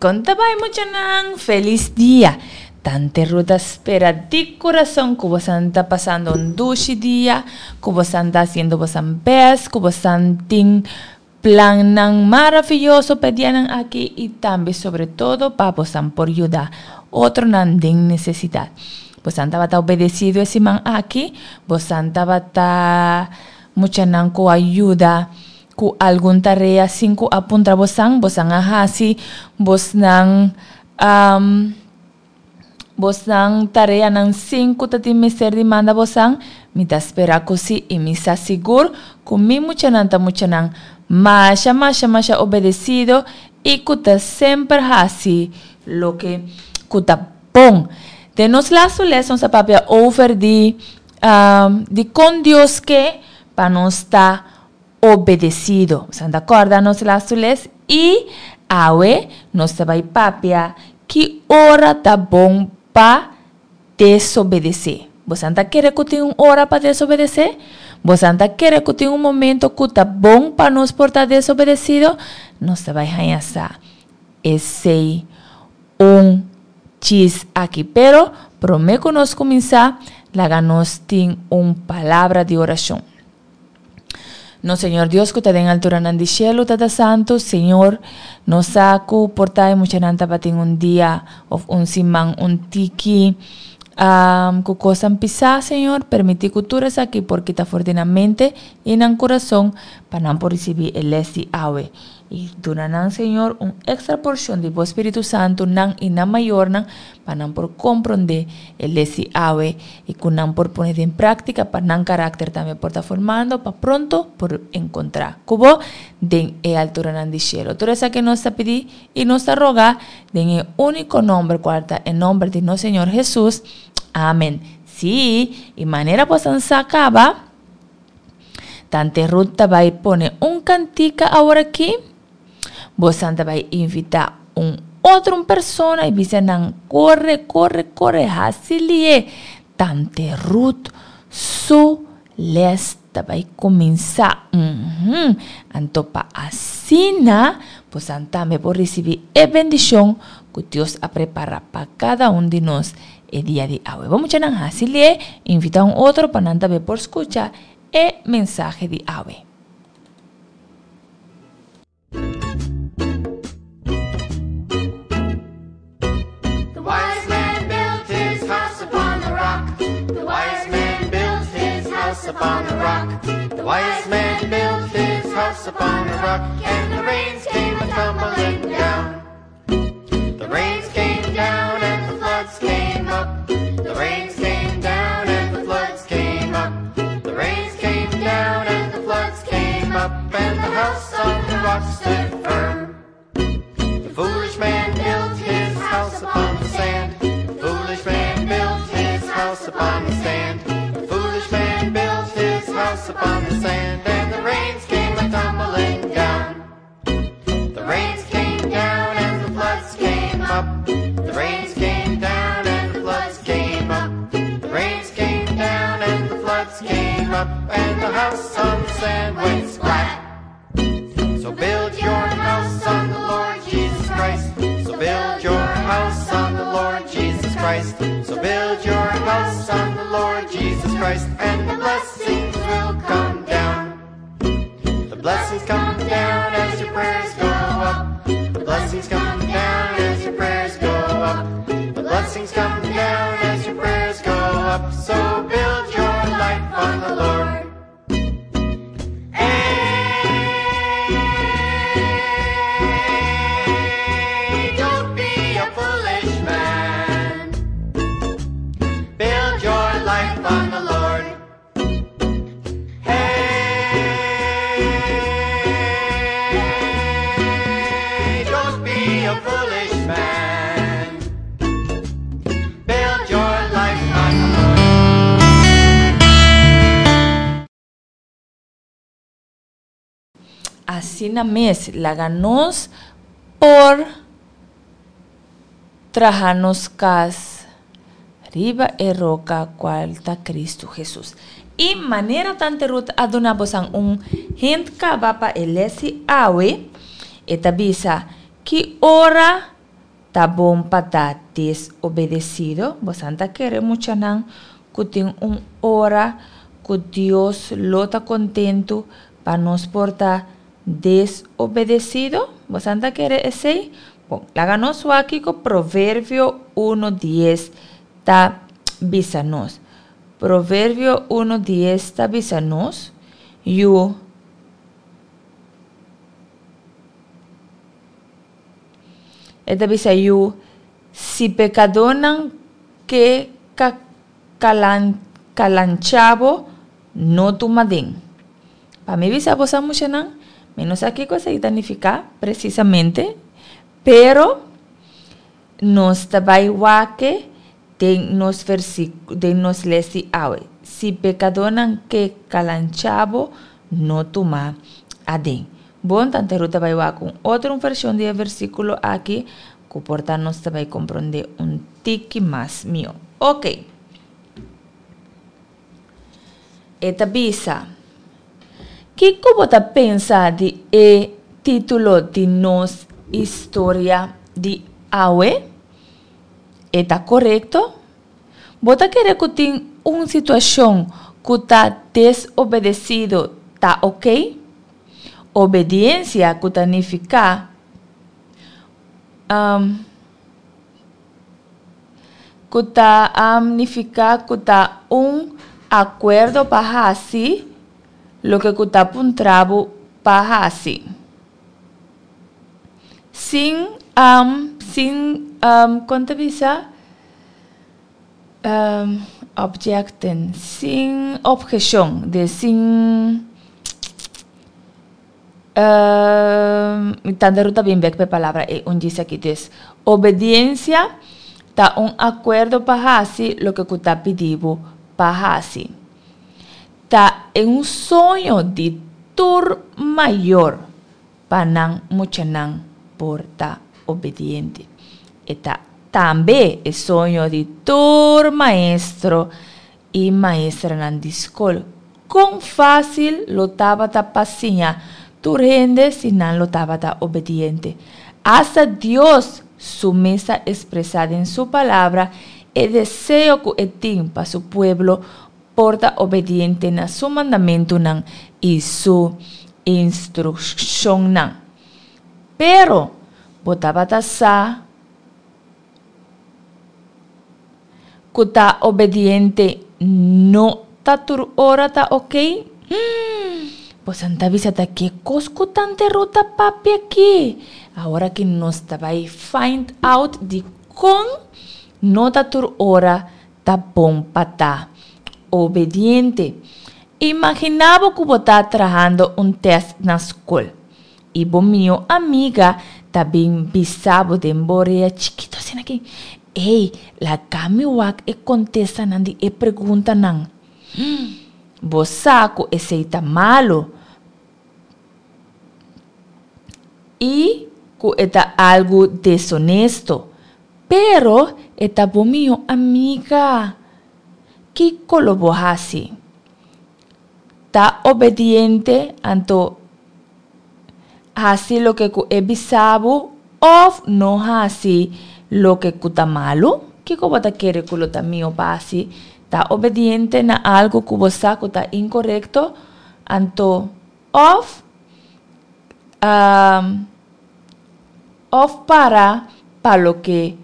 Kon ta bai muchanan? Felis dia! Tante Ruth ta spera di kurason ku bosan ta pasando un dushi dia, ku bosan ta hasiendo bosan bèst, ku bosan tin plannan maravioso pa e dianan aki i tambe sobre todo pa bosan por yuda otronan den nesesidat. Bosan tabata obedesido e siman aki? Bosan tabata muchanan ku a yuda Ku algun tarea sin ku a puntra bosan, bosan a hasi bosnan bosnan tareanan sin ku ta tin mester di manda bosan? Mi ta spera ku si i mi sa sigur ku mi muchanan ta muchanan masha masha masha obedesido i ku ta semper hasi loke ku ta bon. Den nos lastu les nos a papia over di dikon Dios ke pa nos ta obedecido. Boso ta corda nos lastu les? Y awe nos ta bay papia ki ora ta bon pa desobedece. Boso ta kere cu tin un ora pa desobedece? Boso ta kere cu tin un momento cu ta bon pa nos por ta desobedecido? Nos ta bay haña sa esey un chis aki. Pero prome cu nos cuminsa, laga nos tin un palabra di oracion. Nos Señor Dios ku ta den alturanan di shelu, Tata Santu, Señor, nos sa ku por ta e muchanan tabatin un dia of un siman un tiki ku kosnan pisá, Señor, permití ku tur esaki por kita for di nan mente i nan kurason pa nan por risibí e lès di awe. I duna nan, Señor, un èkstra porshon di bo Spiritu Santu, nan i nan mayornan, pa nan por komprondé e les di awe i ku nan por pone den práktika pa nan karakter tambe por ta formando pa pronto por enkontrá ku bo den e alturanan di shelu. Tur esaki nos ta pidi i nos ta roga den e úniko nòmber kual ta e nòmber di nos Señor Hesus. Amen. Sí, i manera bo san sa kaba, Tante Ruth ta bai pone un kantika aworakí. Bosan ta bai invitá un otro un persona i bisa nan kore, kore, kore, hasi lié. Tante Ruth su lès ta bai kuminsá. Uhum. Anto pa asina bosan tambe por risibí e bendishon ku Dios a prepará pa kada un di nos e dia di awe. Bo muchanan hasi lié, invitá un otro pa nan tambe por skucha e mensahe di awe. The wise man built his house upon the rock. The wise man built his house upon the rock. The wise man built his house upon the rock, and the rains came a tumbling down. The rains came down and the floods came up. The rains came down and the floods came up. The rains came down and the floods came up, and the house on the rock stood firm. The foolish man built his house upon the sand. The foolish man built his house upon the sand. The foolish man built his house upon the sand, and the rains came a tumbling down. The rains came down and the floods came up. The rains came down and the floods came up. The rains came down and the floods came up, and the house on the sand went splat. So build your house on the Lord Jesus Christ. So build your house on the Lord Jesus Christ. So build your house on the Lord Jesus Christ, and the blessings will come down. The blessings come down as your prayers go up. The blessings come down as your prayers go up. The blessings come down as your prayers go up. So build your life on the Lord. Hey, don't be a foolish man. Build your life on the Lord. Hey, don't be a foolish man. Build your life on the Lord. Asina mes, laga nos por traha nos kas riba e roka kual ta Kristu Hesus. I manera Tante Ruth a duna bosan un hint kaba pa e les di awe, e ta bisa, Ki ora. ta bon pa ta desobedesido? Bosan ta kere muchanan ku tin un ora ku Dios lo ta kontentu pa nos por ta desobedesido? Bosan ta kere esei? Bon, laga nos wak kiko Proverbio uno dies ta bisa nos. Proverbio uno dies ta bisa nos, Yu. E ta bisa yu, Si pekadónan ke ka kalan kalanchá bo, no tuma den. Pa mi bisa bo sa muchanan, mi no sa kiko esei ta nifiká presisamente, pero nos ta bai wak den nos versíkulo den nos les di awe. Si pekadónan ke kalanchá bo, no tuma aden. Bon, tante Ruth ta bai wak un otro un vershon di e versíkulo aki ku por ta nos ta bai komprondé un tiki mas mihó. Oke. E ta bisa, Kiko bo ta pensa di e título di nos historia di awe? E ta korekto? Bo ta kere ku tin un situashon ku ta desobedesido ta oke? Obediensia ku ta nifiká ku ta nifiká ku ta un akuerdo pa hasi loke ku ta puntra bo pa hasi. Sin sin kon ta bisa objecten sin obheshon de sin mi tanta ruta bin bek pa e palabra ei un djis aki dus obediencia ta un akuerdo pa hasi loke ku ta pidi bo pa hasi ta un soño di tur mayor pa nan muchanan por ta obediente. E ta tambe e soño di tur maestro i maestranan di skol. Kon fásil lo tabata pa siña tur hende si nan lo tabata obediente? Asta Dios su mes ta ekspresá den su Palabra e deseo ku e tin pa su pueblo por ta obediente na su mandamentunan i su instrukshonnan. Pero, bo tabata sa ku ta obediente no ta tur ora ta okey? Bosan ta bisa ta ke kos ku tante Ruth ta papia aki? Awor aki nos ta bai find out dikon no ta tur ora Ta bon pa ta obediente. Imaginá bo ku bo ta trahando un tèst na skol i bo mihó amiga ta bin bisa bo den bo orea chikitu asina aki, Ey, laga mi wak e kontestanan di e preguntanan. Bo sa ku esei ta malu i ku e ta algu desonesto. Pero e ta bo mihó amiga. Kiko lo bo hasi? Ta obediente anto hasi loke ku e bisa bo òf no hasi loke ku ta malu? Kiko bo ta kere ku lo ta mihó pa hasi? Ta obediente na algu ku bo sa ku ta inkorekto anto òf Of para pa loke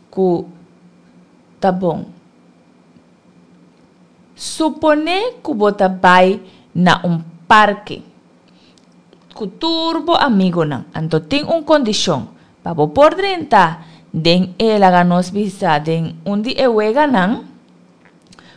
ku ta bon. Suponé ku bo ta bai na un parke ku tur bo amigonan, anto tin un kondishon, pa bo por drenta den e laga nos bisa den un di e weganan,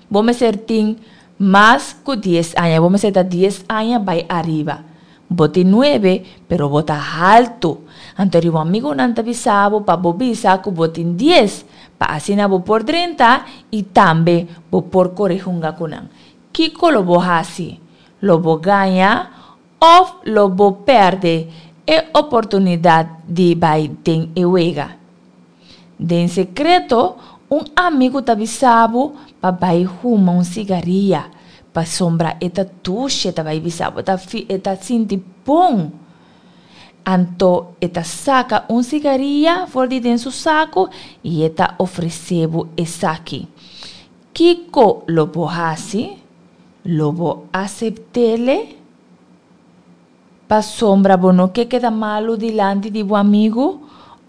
bo mester tin mas ku dies aña, bo mester ta dies aña bai ariba. Bo tin nuebe, pero bo ta haltu. Anto riba un amigunan ta bisa bo pa bo bisa ku bo tin dies, pa asina bo por drenta i tambe bo por kore hunga ku nan. Kiko lo bo hasi? Lo bo gaña òf lo bo pèrdè e oportunidat di bai den e wega? Den sekreto, un amigu ta bisa bo pa bai huma un sigaria, pasobra e ta dushi, e ta bai bisa bo, e ta sinti bon. Anto e ta saka un sigaria for di den su saku i e ta ofresé bo esaki. Kiko lo bo hasi? Lo bo asept'ele? Pasobra bo no ke keda malu dilanti di bo amigu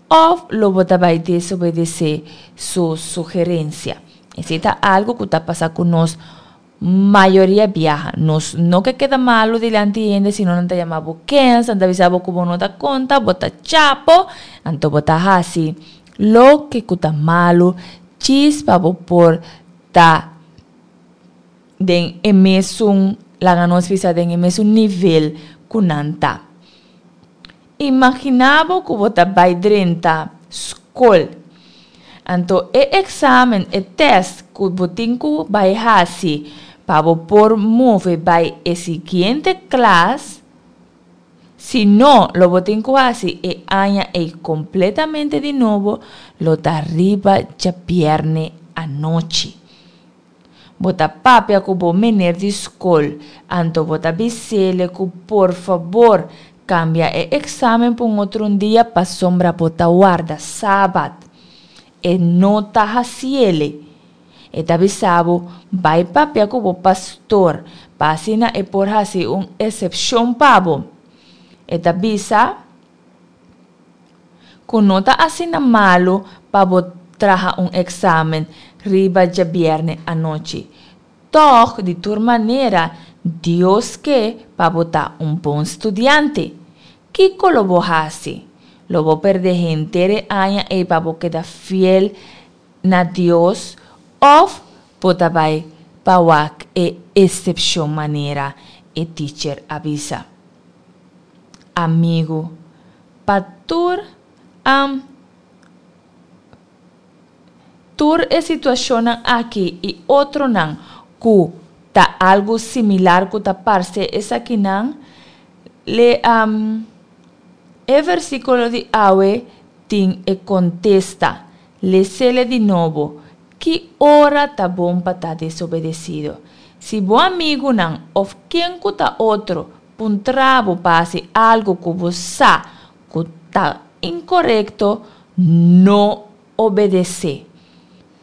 òf lo bo ta bai desobedesé su sugerensia? Esei ta algu ku ta pasa ku nos mayoria biaha. Nos no ke keda malu dilanti hende sino nan ta yama bo kens, nan ta bisa bo ku bo no ta konta, bo ta chapo, anto bo ta hasi loke ku ta malu djis pa bo por ta den e mesun, laga nos bisa den e mesun nivel ku nan ta. Imaginá bo ku bo ta bai drenta skol. Anto e eksamen, e tèst ku bo tin ku bai hasi pa bo por move bai e siguiente klas, si no lo bo tin ku hasi e aña ei kompletamente di nobo, lo ta riba djabièrnè anochi. Bo ta papia ku bo mener di skol, anto bo ta bis'ele ku por fabor kambia e eksamen pa un otro un dia pasobra bo ta warda sabat. E no ta hasiele. E ta bisa bo bai papia ku bo pastor pa asina e por hasi un esepshon pa bo. E ta bisa Ku no ta asina malu pa bo traha un eksamen riba djabièrnè anochi. Tòg, di tur manera, Dios ke pa bo ta un bon studiante. Kiko lo bo hasi? Lo bo pèrdè henter e aña ei pa bo keda fiel na Dios òf bo ta bai pa wak e esepshon manera e ticher a bisa? Amigu, pa tur am tur e situashonnan aki i otronan ku ta algu similar ku ta parse esakinan, le am e versíkulo di awe tin e kontesta. Les'ele di nobo, Ki ora ta bon pa ta desobedesido? Si bo amigunan òf ken ku ta otro puntra bo pa hasi algu ku bo sa ku ta inkorekto, no obedesé.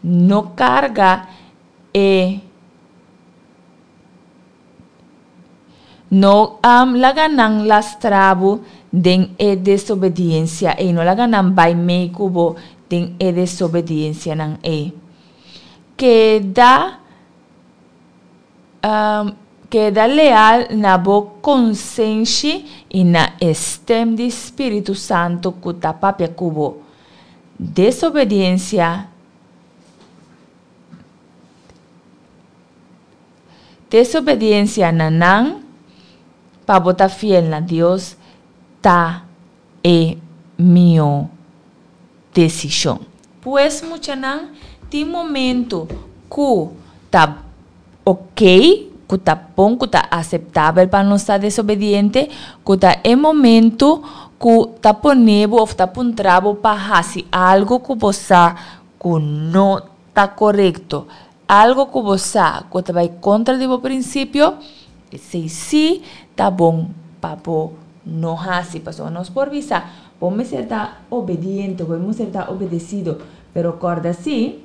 No karga e No laga nan lastra bo den e desobediensia ei. No laga nan bai mei ku bo den e desobediensianan ei. Keda keda leal na bo konsenshi i na e stem di Spiritu Santu ku ta papia ku bo. Desobediensia Desobediencia na nan pa bo ta fiel na Dios ta e mihó desishon. Pues muchanan, tin momento ku ta ok, ku ta bon, ku ta aseptabel pa nos ta desobediente, ku ta e momento ku ta pone bo òf ta puntra bo pa hasi algu ku bo sa ku no ta korekto. Algo ku bo sa ku ta bai kontra di bo prinsipio, esei sí ta bon pa bo no hasi. Pasobra nos por bisa, bo mester ta obediente, bo mester ta obedesido, pero kòrda sí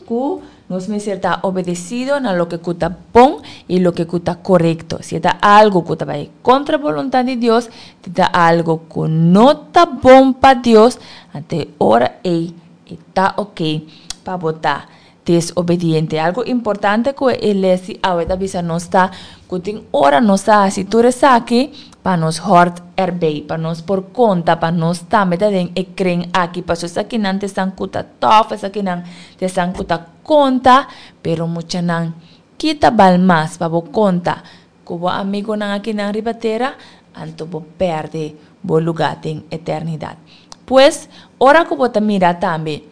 ku nos mester ta obedesido na loke ku ta bon i loke ku ta korekto. Si e ta algu ku ta bai kontra boluntat di Dios, si ta algu ku no ta bon pa Dios, anto e ora ei e ta oke pa bo ta desobediente. Algo importante ku e les di awe ta bisa nos ta ku tin ora nos ta hasi tur esaki pa nos hòrt erbei, pa nos por konta, pa nos tambe ta den e kren aki. Pasobra esakinan ta esnan ku ta tòf, esakinan ta esnan ku ta konta, pero muchanan kita bal mas pa bo konta ku bo amigonan akinan riba tera, anto bo pèrdè bo lugá den eternidat. Pues, ora ku bo ta mira tambe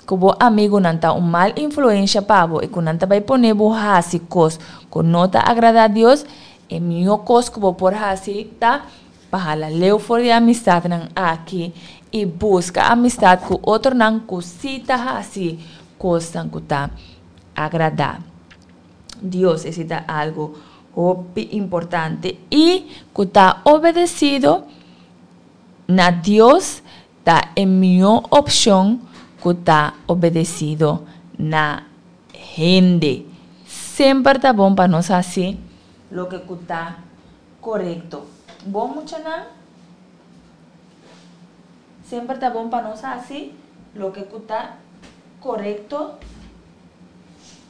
ku bo amigunan ta un mal influensha pa bo i ku nan ta bai pone bo hasi kos ku no ta agradá Dios, e mihó kos ku bo por hasi ta pa hala leu for di e amistatnan aki i buska amistat ku otronan ku sí ta hasi kosnan ku ta agradá Dios. Esei ta algu hopi importante i ku ta obedesido. na Dios ta e mihó opshon ku ta obedesido na hende. Semper ta bon pa nos hasi loke ku ta korekto. Bon muchanan, semper ta bon pa nos hasi loke ku ta korekto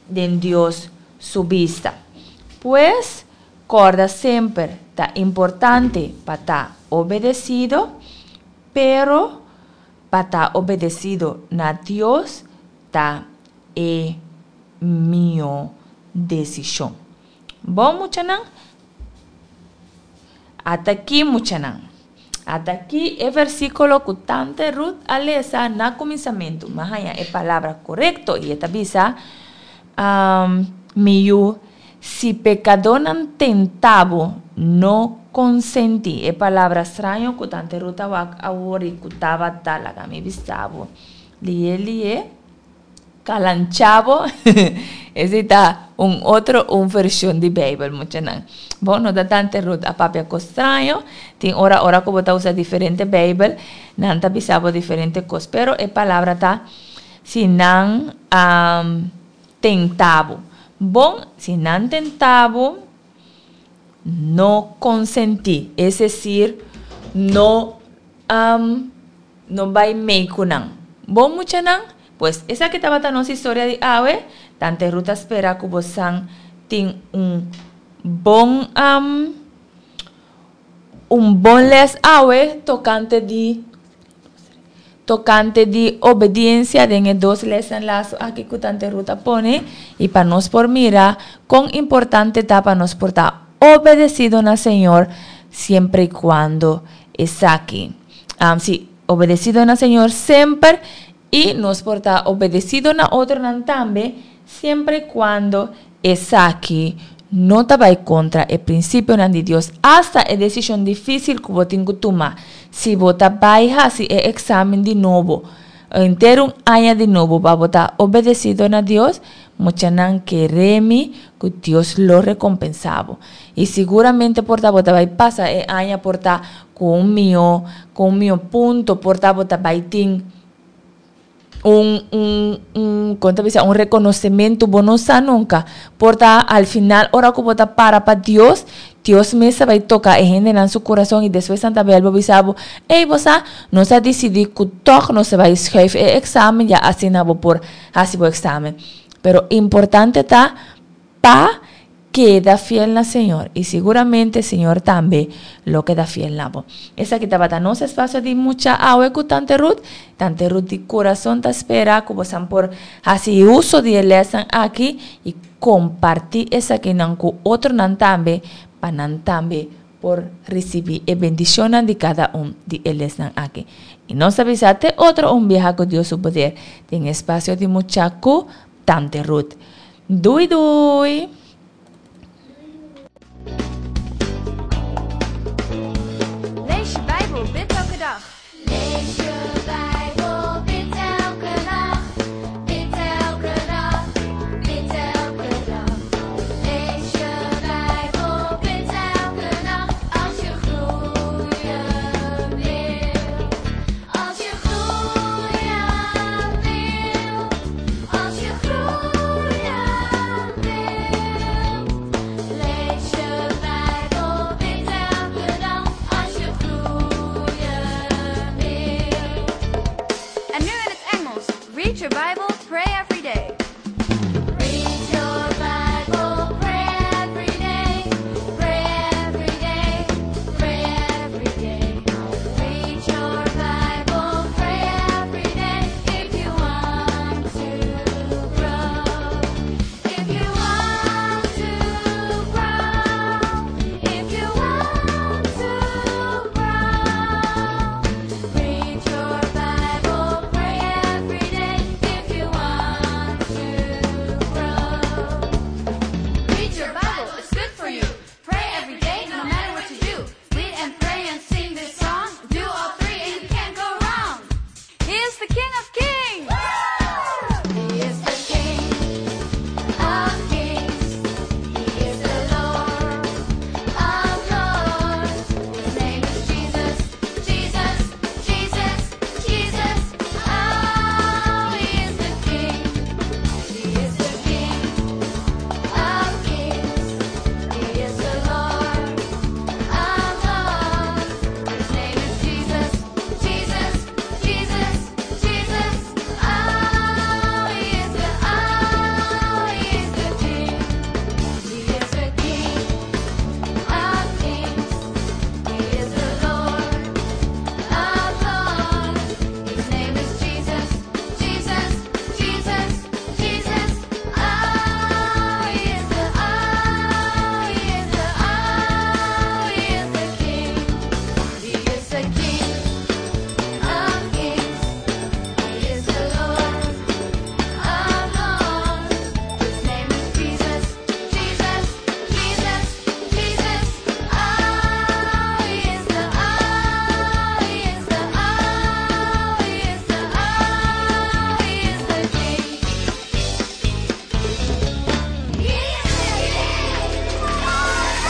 den Dios su bista. Pues, kòrda semper ta importante pa ta obedesido, pero pa ta obedesido na Dios ta e mihó desishon. Bon muchanan? Ata aki muchanan. Ata aki e versíkulo ku Tante Ruth a lesa na kuminsamentu. Mi a haña e palabra korekto i e ta bisa, Mi yu, si pekadónan tenta bo, no konsentí. E palabra straño ku Tante Ruth a wak awor i ku tabata laga mi bisa bo. Lié lié. Kalanchabo, esei ta un otro un vershon di Beibel, muchanan. Bo no ta tante Ruth a papia kos straño, tin ora ora ku bo ta usa diferente Beibel, nan ta bisa bo diferente kos, pero e palabra ta si nan a tenta bo. Bon, si nan tenta bo, no konsentí, es desir, no no bai mei ku nan. Bon muchanan, pues esaki tabata nos historia di awe. Tante Ruth ta spera ku bosan tin un bon un bon les awe tokante di tokante di obediencia den e dos lesnan lastu aki ku Tante Ruth a pone i pa nos por mira kon importante ta pa nos por ta obedesido na Señor siempre i kuando esaki. Si, obedesido na Señor semper i nos por ta obedesido na otronan tambe siempre i kuando esaki no ta bai kontra e prinsipionan di Dios. Asta e desishon difísil ku bo tin ku tuma si bo ta bai hasi e eksamen di nobo, henter un aña di nobo pa bo ta obedesido na Dios, muchanan kere mi ku Dios lo rekompensá bo. I siguramente por ta bo ta bai pasa e aña por ta ku un mihó, ku un mihó punto, por ta bo ta bai tin un, un, un, kon ta bisa, un rekonosementu, bo no sa nunka. Por ta al final ora ku bo ta para pa Dios, Dios mes ta bai toka e hendenan su kurason i despues nan ta bel bo bisa bo, ey bo sa, nos a disidí ku tòg nos ta bai schuif e eksamen ya asina bo por hasi bo eksamen. Pero importante ta pa Keda fiel na Señor, i siguramente Señor tambe lo keda fiel na bo. Esaki tabata nos espacio di mucha awe cu Tante Ruth. Tante Ruth di curason ta spera cu bosan por haci uso di e lesnan aki i comparti esakinan cu otronan tambe pa nan tambe por ricibi e bendicionnan di cada un di e lesnan aki. I nos ta bisa te otro un biaha cu Dios su poder den espacio di mucha cu Tante Ruth. Doei doei! Lees je Bijbel, bid elke dag. Lees je Bijbel, bid elke nacht. Bid elke dag, bid elke dag. Lees je Bijbel, bid elke nacht. Als je groeien wilt. Als je groeien wilt. Als je groeien wilt. Lees je Bijbel, bid elke dag. Als je groeien wilt. En nu in het Engels. Read your Bible.